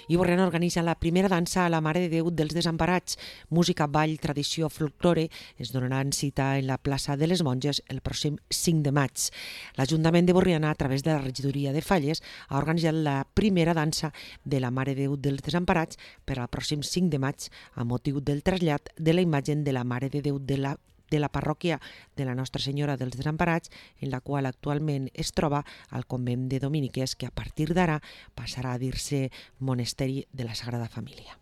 I Borriana organitza la primera dansa a la Mare de Déu dels Desemparats. Música, ball, tradició, folklore es donaran cita en la plaça de les Monges el pròxim 5 de maig. L'Ajuntament de Borriana, a través de la regidoria de Falles, ha organitzat la primera dansa de la Mare de Déu dels Desemparats per al pròxim 5 de maig a motiu del trasllat de la imatge de la Mare de Déu de la parròquia de la Nostra Senyora dels Desemparats, en la qual actualment es troba al convent de Dominiques, que a partir d'ara passarà a dir-se Monesteri de la Sagrada Família.